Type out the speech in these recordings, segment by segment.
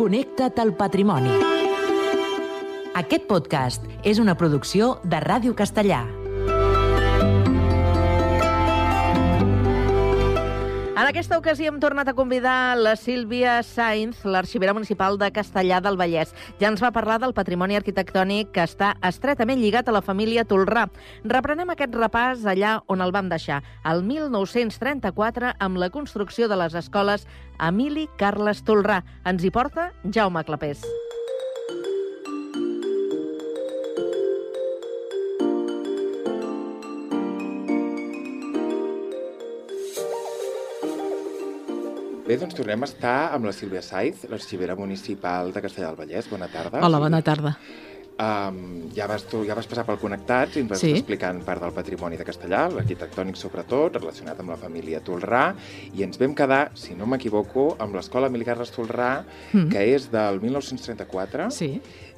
Connecta't al patrimoni. Aquest podcast és una producció de Ràdio Castellà. En aquesta ocasió hem tornat a convidar la Sílvia Sainz, l'arxivera municipal de Castellar del Vallès. Ja ens va parlar del patrimoni arquitectònic que està estretament lligat a la família Tolrà. Reprenem aquest repàs allà on el vam deixar, el 1934, amb la construcció de les escoles Emili Carles Tolrà. Ens hi porta Jaume Clapés. Bé, doncs tornem a estar amb la Sílvia Sainz, l'arxivera municipal de Castellar del Vallès. Bona tarda. Hola, bona tarda. Ja vas passar pel Connectats i ens vas estar explicant part del patrimoni de Castellar, l'arquitectònic sobretot, relacionat amb la família Tolrà, i ens vam quedar, si no m'equivoco, amb l'escola Emili Carles Tolrà, que és del 1934,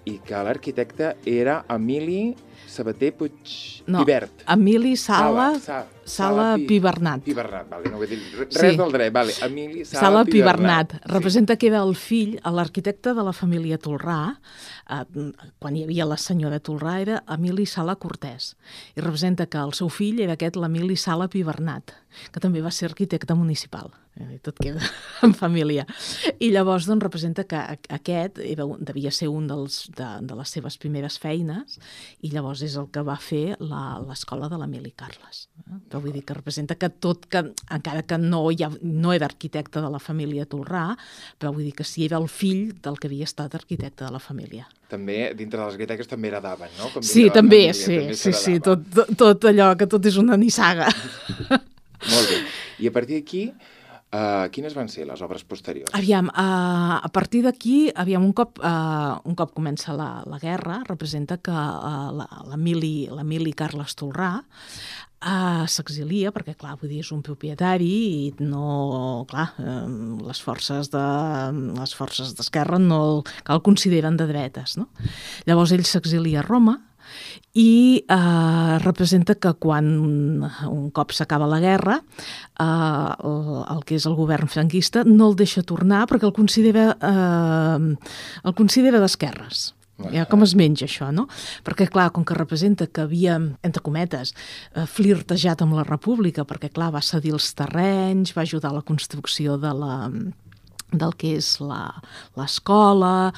i que l'arquitecte era Emili Sabater Puigvert. Emili Sala Pibernat. Pibernat, vale, no vull dir res del dret, vale. Emili Sala Pibernat. Representa que era el fill, l'arquitecte de la família Tolrà, quan hi havia la senyora Tolrà, era Emili Sala Cortés. I representa que el seu fill era aquest, l'Emili Sala Pibernat, que també va ser arquitecte municipal. I tot queda en família. I llavors doncs, representa que aquest devia ser un de les seves primeres feines i llavors és el que va fer l'escola de l'Emili Carles. Però vull dir que representa que encara que no era arquitecte de la família Tolrà, però vull dir que sí era el fill del que havia estat arquitecte de la família. També, dintre dels arquitectes també heredaven, no? Sí, també, sí, tot allò que tot és una nissaga. Molt bé. I a partir d'aquí, quines van ser les obres posteriors? Aviam, a partir d'aquí, un cop comença la guerra, representa que l'Emili Carles Tolrà s'exilia, perquè, clar, vull dir, és un propietari i no, clar, les forces d'esquerra no el consideren de dretes, no? Llavors ell s'exilia a Roma i representa que quan un cop s'acaba la guerra el que és el govern franquista no el deixa tornar perquè el considera d'esquerres. Ja, com es menja això, no? Perquè, clar, com que representa que havia, entre cometes, flirtejat amb la república, perquè, clar, va cedir els terrenys, va ajudar a la construcció del que és l'escola,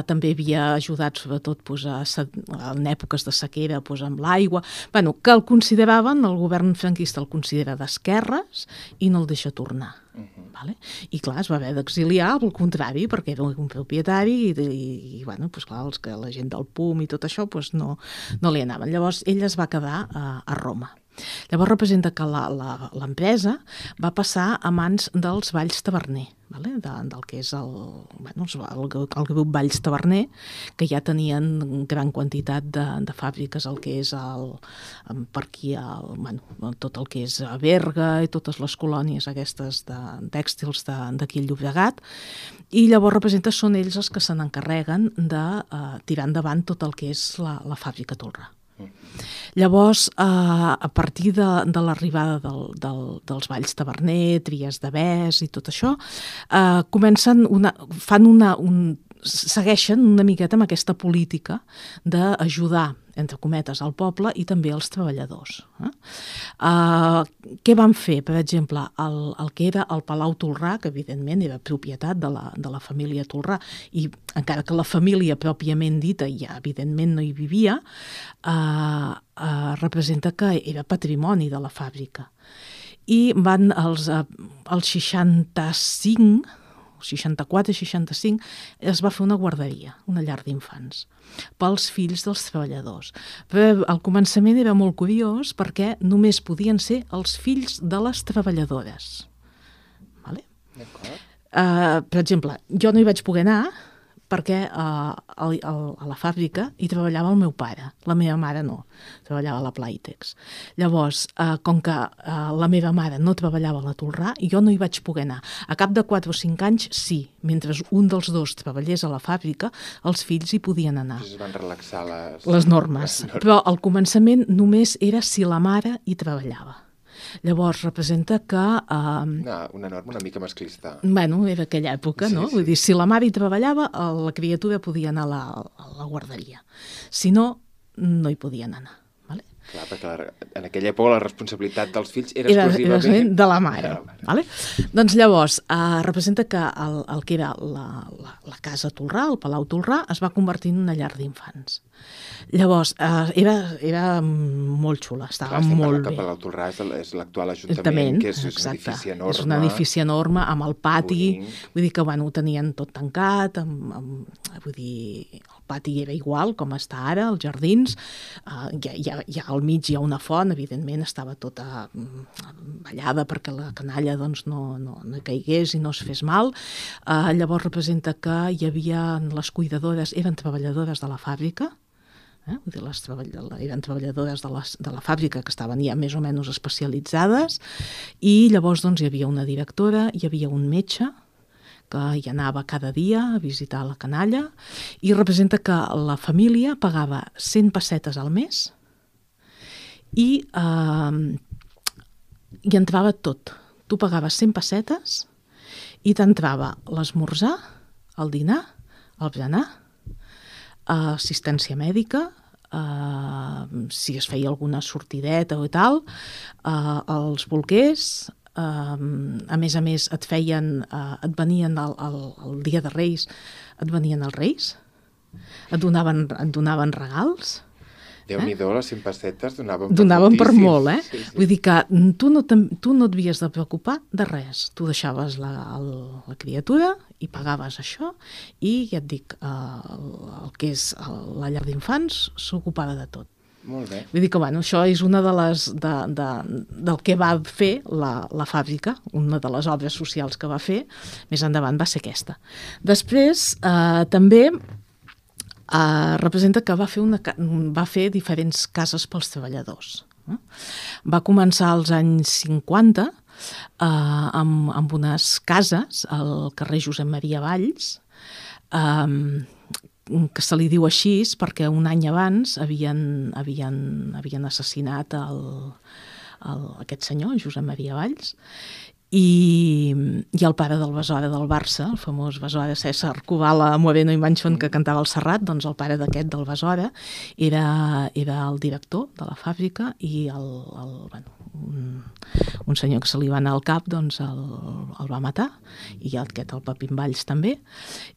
també havia ajudat sobretot en èpoques de sequera amb l'aigua, que el consideraven, el govern franquista el considera d'esquerres i no el deixa tornar. I clar, es va haver d'exiliar al contrari, perquè era un propietari i clar, la gent del PUM i tot això no li anaven. Llavors ell es va quedar a Roma. Llavors representa que l'empresa va passar a mans dels Valls Taverner, del que és el grup Valls Taverner, que ja tenien gran quantitat de fàbriques, el que és per aquí, tot el que és Berga i totes les colònies aquestes tèxtils d'aquí al Llobregat, i llavors representa són ells els que se n'encarreguen de tirar endavant tot el que és la fàbrica Tolrà. Llavors, a partir de l'arribada dels Valls Taverner, Tries de Bes i tot això, segueixen una miqueta amb aquesta política d'ajudar, entre cometes, al poble i també als treballadors. Què van fer? Per exemple, el que era el Palau Tolrà, que evidentment era propietat de la família Tolrà, i encara que la família pròpiament dita ja evidentment no hi vivia, representa que era patrimoni de la fàbrica. I van als 64-65 es va fer una guarderia, una llar d'infants, pels fills dels treballadors. Però al començament era molt curiós perquè només podien ser els fills de les treballadores. Per exemple, jo no hi vaig poder anar perquè a la fàbrica hi treballava el meu pare, la meva mare no, treballava a la Playtex. Llavors, com que la meva mare no treballava a la Tolrà, jo no hi vaig poder anar. A cap de 4 o 5 anys, sí, mentre un dels dos treballés a la fàbrica, els fills hi podien anar. Es van relaxar les normes. Però al començament només era si la mare hi treballava. Llavors representa que... Una norma una mica masclista. Bueno, era aquella època, no? Vull dir, si la mare hi treballava, la criatura podia anar a la guarderia. Si no, no hi podien anar. Clar, perquè en aquella època la responsabilitat dels fills era exclusivament de la mare. Vale? Doncs llavors, representa que el que era la casa Tolrà, el Palau Tolrà, es va convertir en una llar d'infants. Llavors, era molt xula, estava molt bé. El Palau Tolrà és l'actual Ajuntament, que és un edifici enorme. És un edifici enorme, amb el pati, vull dir que ho tenien tot tancat, vull dir, el pati era igual com està ara, els jardins, ja al mig hi ha una font, evidentment estava tota ballada perquè la canalla no caigués i no es fes mal. Llavors representa que hi havia les cuidadores, eren treballadores de la fàbrica, vull dir, eren treballadores de la fàbrica que estaven ja més o menys especialitzades, i llavors hi havia una directora, hi havia un metge que hi anava cada dia a visitar la canalla, i representa que la família pagava 100 pessetes al mes i entrava tot. Tu pagaves 100 pessetes i t'entrava l'esmorzar, el dinar, el berenar, assistència mèdica, si es feia alguna sortideta o tal, els bolquers, a més et venien el dia de Reis, et venien els Reis, et donaven regals. Déu-n'hi-do, les 100 pessetes donaven per molt, Sí. Vull dir que tu no et havies de preocupar de res. Tu deixaves la criatura i pagaves això, i ja et dic, el que és la llar d'infants s'ocupava de tot. Molt bé. Vull dir que, això és una del que va fer la fàbrica, una de les obres socials que va fer, més endavant va ser aquesta. Després, també representa que va fer diferents cases pels treballadors. Va començar als anys 50 amb unes cases al carrer Josep Maria Valls, que se li diu així perquè un any abans havien assassinat aquest senyor, Josep Maria Valls, i el pare del Besora del Barça, el famós Besora César Kubala Moreno i Manchón, que cantava al Serrat, doncs el pare d'aquest del Besora era el director de la fàbrica, i un senyor que se li va anar al cap doncs el va matar, i aquest, el Pepín Valls, també,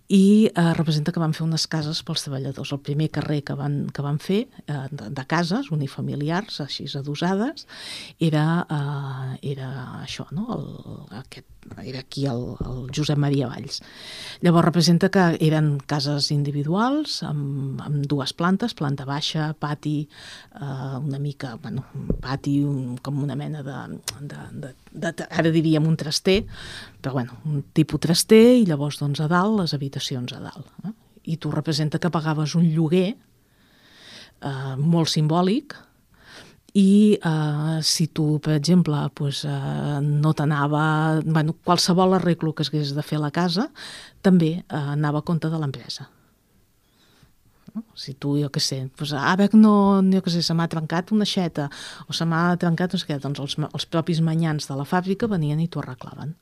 i representa que van fer unes cases pels treballadors. El primer carrer que van fer de cases unifamiliars, així adossades, era això, no? Era aquí el Josep Maria Valls. Llavors representa que eren cases individuals amb dues plantes, planta baixa, pati, una mica, pati com una mena ara diríem un traster, però un tipus traster, i llavors a dalt les habitacions a dalt. I tu representa que pagaves un lloguer molt simbòlic, i si tu, per exemple, no t'anava... qualsevol arreglo que hagués de fer a la casa també anava a compte de l'empresa. Si tu, jo què sé, ara se m'ha trencat una aixeta o se m'ha trencat no sé què, doncs els propis manyans de la fàbrica venien i t'ho arreglaven.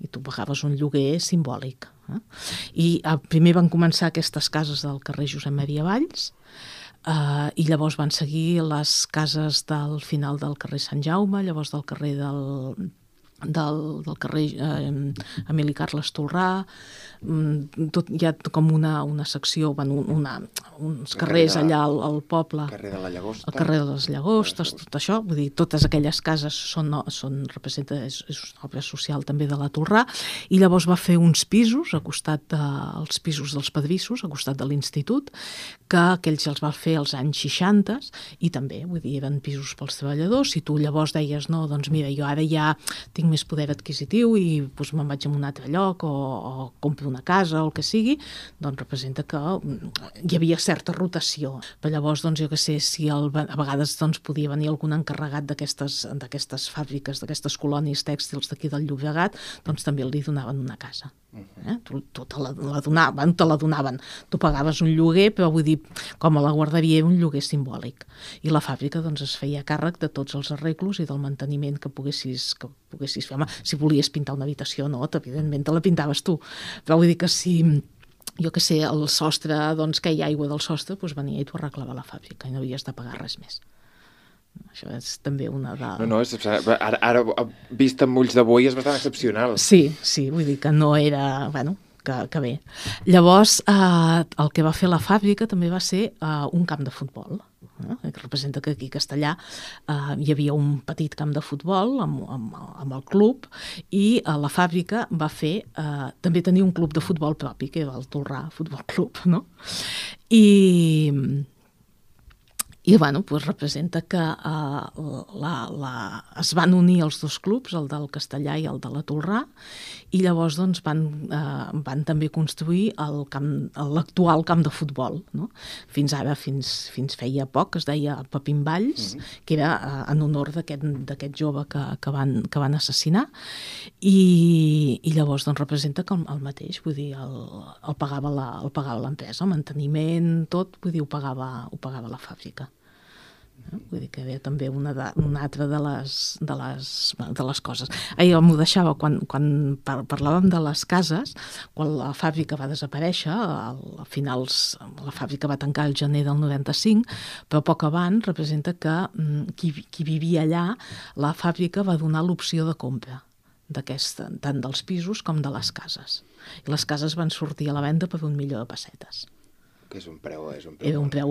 I tu pagaves un lloguer simbòlic. I primer van començar aquestes cases del carrer Josep Maria Valls, i llavors van seguir les cases del final del carrer Sant Jaume, llavors del carrer del carrer Emili Carles Tolrà, hi ha com una secció, uns carrers allà al poble, el carrer de les Llagostes, tot això, vull dir, totes aquelles cases és una obra social també de la Tolrà, i llavors va fer uns pisos a costat dels pisos dels Pedrissos, a costat de l'institut, que aquells els va fer als anys 60, i també, vull dir, eren pisos pels treballadors. Si tu llavors deies, no, doncs mira, jo ara ja tinc més més poder adquisitiu i doncs, me'n vaig a un altre lloc o compro una casa o el que sigui, doncs representa que hi havia certa rotació. Però llavors, doncs, jo que sé, si a vegades doncs, podia venir algun encarregat d'aquestes fàbriques, d'aquestes colònies tèxtils d'aquí del Llobregat, doncs també li donaven una casa. Tu te la donaven. Tu pagaves un lloguer, però vull dir, com a la guarderia era un lloguer simbòlic. I la fàbrica doncs, es feia càrrec de tots els arreglos i del manteniment que poguessis fer. Home, si volies pintar una habitació, no, evidentment te la pintaves tu. Però vull dir que si, jo que sé, el sostre, doncs que hi ha aigua del sostre, doncs venia i t'ho arreglava la fàbrica i no havies de pagar res més. Això és també una de... No, ara vist amb ulls d'avui és bastant excepcional. Sí, vull dir que no era... Bueno, que bé. Llavors, el que va fer la fàbrica també va ser un camp de futbol. Que representa que aquí a Castellà hi havia un petit camp de futbol amb el club i la fàbrica va fer... també tenia un club de futbol propi, que era el Tolrà Futbol Club, no? I bueno, doncs representa que es van unir els dos clubs, el del Castellà i el de la Tolrà, i llavors doncs, van també construir l'actual camp de futbol. No? Fins ara, fins feia poc, es deia Pepín Valls, que era en honor d'aquest jove que van assassinar, i llavors doncs, representa que el mateix, vull dir, el pagava l'empresa, el manteniment, tot, vull dir, ho pagava la fàbrica. Vull dir que ve també una altra de les coses. Jo m'ho deixava, quan parlàvem de les cases, quan la fàbrica va desaparèixer, a finals la fàbrica va tancar el gener del 95, però poc abans representa que qui vivia allà, la fàbrica va donar l'opció de compra tant dels pisos com de les cases. I les cases van sortir a la venda per 1 milió de pessetes. Que és un preu era un preu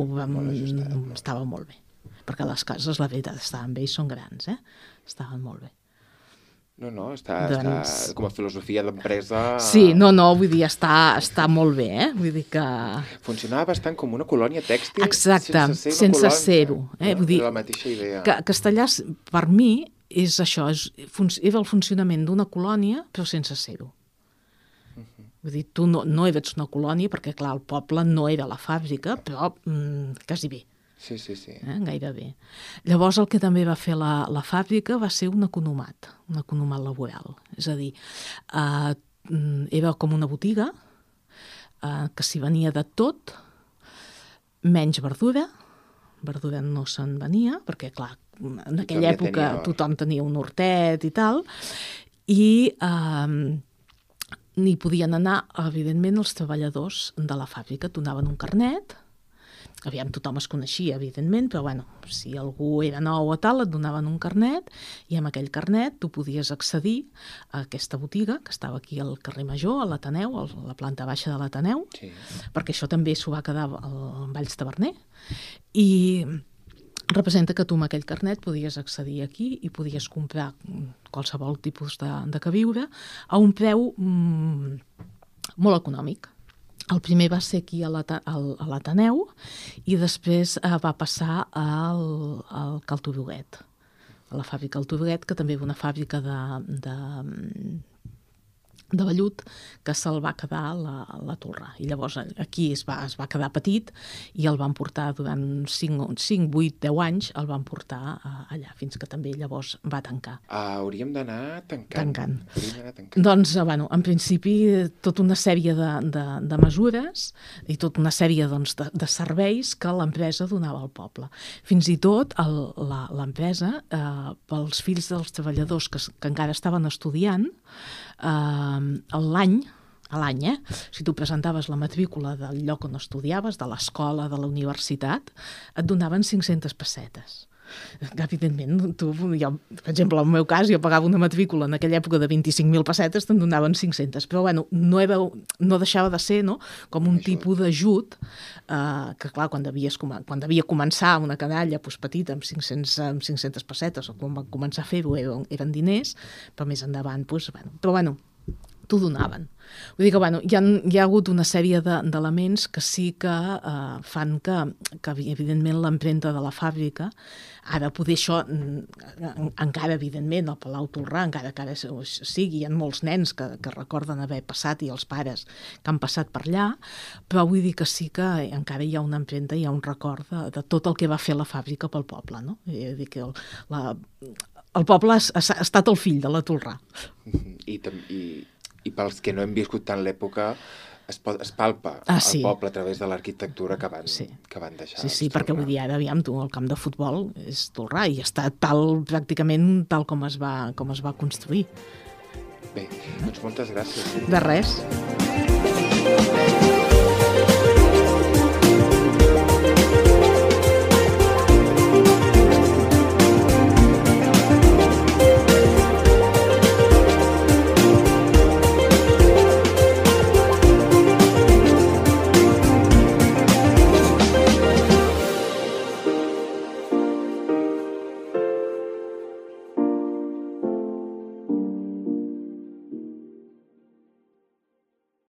estava molt bé. Perquè les cases, la veritat, estaven bé i són grans, estaven molt bé. No, està com a filosofia d'empresa... Sí, vull dir, està molt bé, vull dir que... Funcionava bastant com una colònia tèxtil. Exacte, sense ser-ho. Vull dir, la mateixa idea. Que Castellà, per mi, és això, era el funcionament d'una colònia, però sense ser-ho. Vull dir, tu no eres una colònia, perquè, clar, el poble no era la fàbrica, però quasi bé. Sí. Gairebé. Llavors el que també va fer la fàbrica va ser un economat laboral. És a dir, era com una botiga que s'hi venia de tot, menys verdura no se'n venia, perquè clar, en aquella època tothom tenia un hortet i tal, i n'hi podien anar, evidentment, els treballadors de la fàbrica, donaven un carnet. Aviam, tothom es coneixia, evidentment, però bueno, si algú era nou o tal, et donaven un carnet i amb aquell carnet tu podies accedir a aquesta botiga que estava aquí al carrer Major, a l'Ateneu, a la planta baixa de l'Ateneu, perquè això també s'ho va quedar al Valls Taverner, i representa que tu amb aquell carnet podies accedir aquí i podies comprar qualsevol tipus de queviure a un preu molt econòmic. El primer va ser aquí a l'Ateneu i després va passar al Calturuguet, a la fàbrica Calturuguet, que també era una fàbrica de vellut que se'l va quedar a la Torre. I llavors aquí es va quedar petit i el van portar durant 5, 8, 10 anys, el van portar allà, fins que també llavors va tancar. Hauríem d'anar tancant. Doncs, en principi, tota una sèrie de mesures i tota una sèrie de serveis que l'empresa donava al poble. Fins i tot l'empresa, pels fills dels treballadors que encara estaven estudiant, a l'any, si tu presentaves la matrícula del lloc on estudiaves, de l'escola, de la universitat, et donaven 500 pessetes. Evidentment, tu, per exemple, en el meu cas, jo pagava una matrícula en aquella època de 25.000 pessetes, te'n donaven 500, però no deixava de ser com un tipus d'ajut que, clar, quan devia començar una canalla petita amb 500 pessetes, o quan van començar a fer-ho eren diners, però més endavant, però t'ho donaven. Vull dir que hi ha hagut una sèrie d'elements que sí que fan que evidentment l'empremta de la fàbrica, ara poder això encara evidentment al Palau Tolrà, encara que ara sigui, hi ha molts nens que recorden haver passat i els pares que han passat per allà, però vull dir que sí que encara hi ha una empremta, hi ha un record de tot el que va fer la fàbrica pel poble, no? Vull dir que el poble ha estat el fill de la Tolrà. I pels que no hem viscut tant l'època, es palpa el poble a través de l'arquitectura que van deixar. Sí, perquè vull dir, ara, aviam, tu, el camp de futbol és Tolrà i està pràcticament tal com es va construir. Bé, doncs moltes gràcies. De res.